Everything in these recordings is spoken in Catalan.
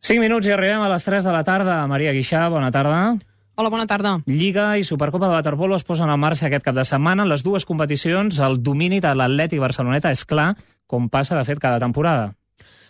5 minuts i arribem a les 3 de la tarda. Maria Guixà, bona tarda. Hola, bona tarda. Lliga i Supercopa de waterpolo es posen en marxa aquest cap de setmana. En les dues competicions, el domini de l'Atlètic Barceloneta és clar, com passa, de fet, cada temporada.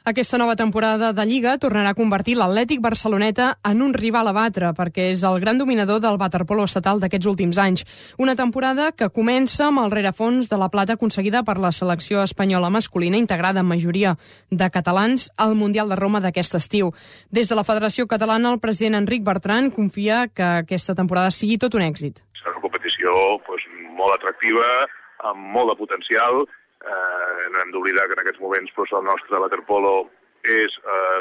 Aquesta nova temporada de Lliga tornarà a convertir l'Atlètic Barceloneta en un rival a batre, perquè és el gran dominador del waterpolo estatal d'aquests últims anys. Una temporada que comença amb el rerefons de la plata aconseguida per la selecció espanyola masculina, integrada en majoria de catalans, al Mundial de Roma d'aquest estiu. Des de la Federació Catalana, el president Enric Bertran confia que aquesta temporada sigui tot un èxit. Serà una competició molt atractiva, amb molt de potencial. No hem d'oblidar que en aquests moments el nostre waterpolo és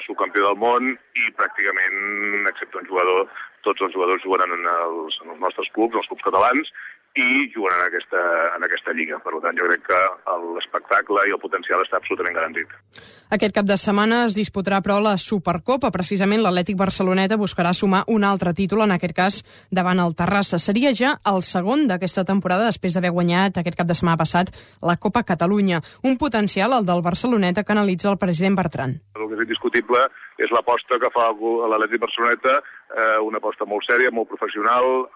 subcampió del món i pràcticament, excepte un jugador, tots els jugadors juguen en els nostres clubs, els clubs catalans, i juguen en aquesta lliga. Per tant, jo crec que l'espectacle i el potencial està absolutament garantit. Aquest cap de setmana es disputarà, però, la Supercopa. Precisament l'Atlètic Barceloneta buscarà sumar un altre títol, en aquest cas davant el Terrassa. Seria ja el segon d'aquesta temporada, després d'haver guanyat aquest cap de setmana passat la Copa Catalunya. Un potencial, el del Barceloneta, que analitza el president Bertran. El que és indiscutible és l'aposta que fa l'Atlètic Barceloneta, una aposta molt sèria, molt professional,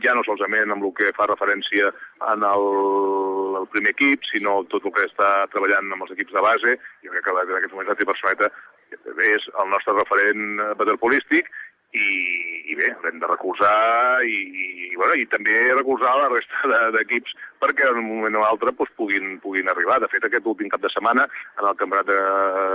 ja no solament amb el que fa referència en el primer equip, sinó tot el que està treballant amb els equips de base. Jo crec que en aquest moment l'Atlètic Barceloneta és el nostre referent waterpolístic i bé, l'hem de recolzar i també recolzar la resta d'equips perquè en un moment o altre puguin arribar. De fet, aquest últim cap de setmana, en el campionat de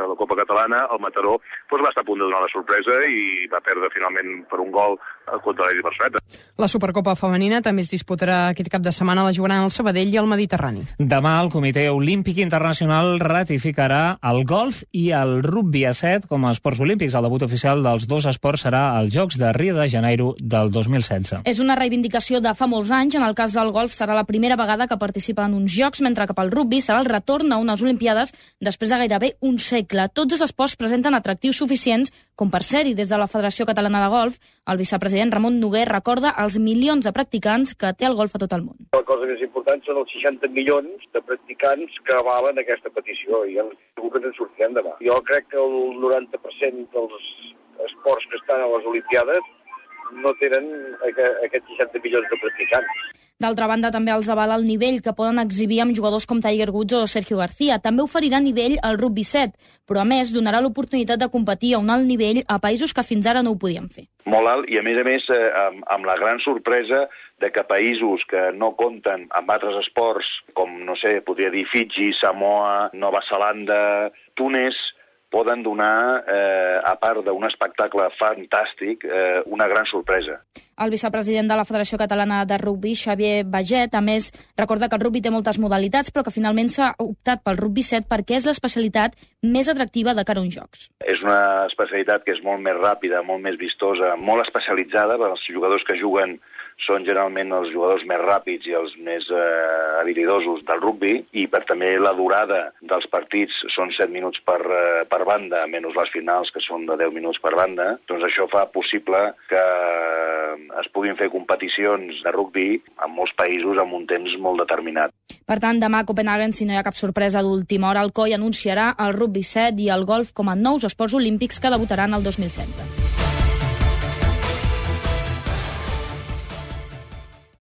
la Copa Catalana, el Mataró va estar a punt de donar la sorpresa i va perdre finalment per un gol contra l'Atlètic Barceloneta. La Supercopa femenina també es disputarà aquest cap de setmana, la jugaran el Sabadell i el Mediterrani. Demà el Comitè Olímpic Internacional ratificarà el golf i el rugbi a 7 com a esports olímpics. El debut oficial dels dos esports serà als Jocs de Rio de Janeiro del 2016. És una reivindicació de fa molts anys. En el cas del golf serà la primera vegada que participa en uns Jocs, mentre que pel rugbi serà el retorn a unes Olimpiades després de gairebé un segle. Tots els esports presenten atractius suficients com per ser-hi. Des de la Federació Catalana de Golf, el vicepresident Ramon Noguer recorda els milions de practicants que té el golf a tot el món. La cosa més important són els 60 milions de practicants que avalen aquesta petició i segur que ens en sortirem demà. Jo crec que el 90% dels esports que estan a les Olimpiades no tenen aquests 60 milions de practicants. D'altra banda, també els avala el nivell que poden exhibir amb jugadors com Tiger Woods o Sergio García. També oferirà nivell al rugby 7, però a més donarà l'oportunitat de competir a un alt nivell a països que fins ara no ho podien fer. Molt alt i, a més, amb la gran sorpresa de que països que no compten amb altres esports, com, no sé, podria dir Fiji, Samoa, Nova Zelanda, Túnez, poden donar, a part d'un espectacle fantàstic, una gran sorpresa. El vicepresident de la Federació Catalana de Rugby, Xavier Baget, a més, recorda que el rugby té moltes modalitats, però que finalment s'ha optat pel rugby 7 perquè és l'especialitat més atractiva de cara a uns Jocs. És una especialitat que és molt més ràpida, molt més vistosa, molt especialitzada. Els jugadors que juguen són generalment els jugadors més ràpids i els més habilidosos del rugby, i també la durada dels partits són 7 minuts per banda, menys les finals, que són de 10 minuts per banda. Doncs això fa possible que es puguin fer competicions de rugby en molts països amb un temps molt determinat. Per tant, demà a Copenhagen, si no hi ha cap sorpresa d'última hora, el COI anunciarà el rugby 7 i el golf com a nous esports olímpics que debutaran el 2016.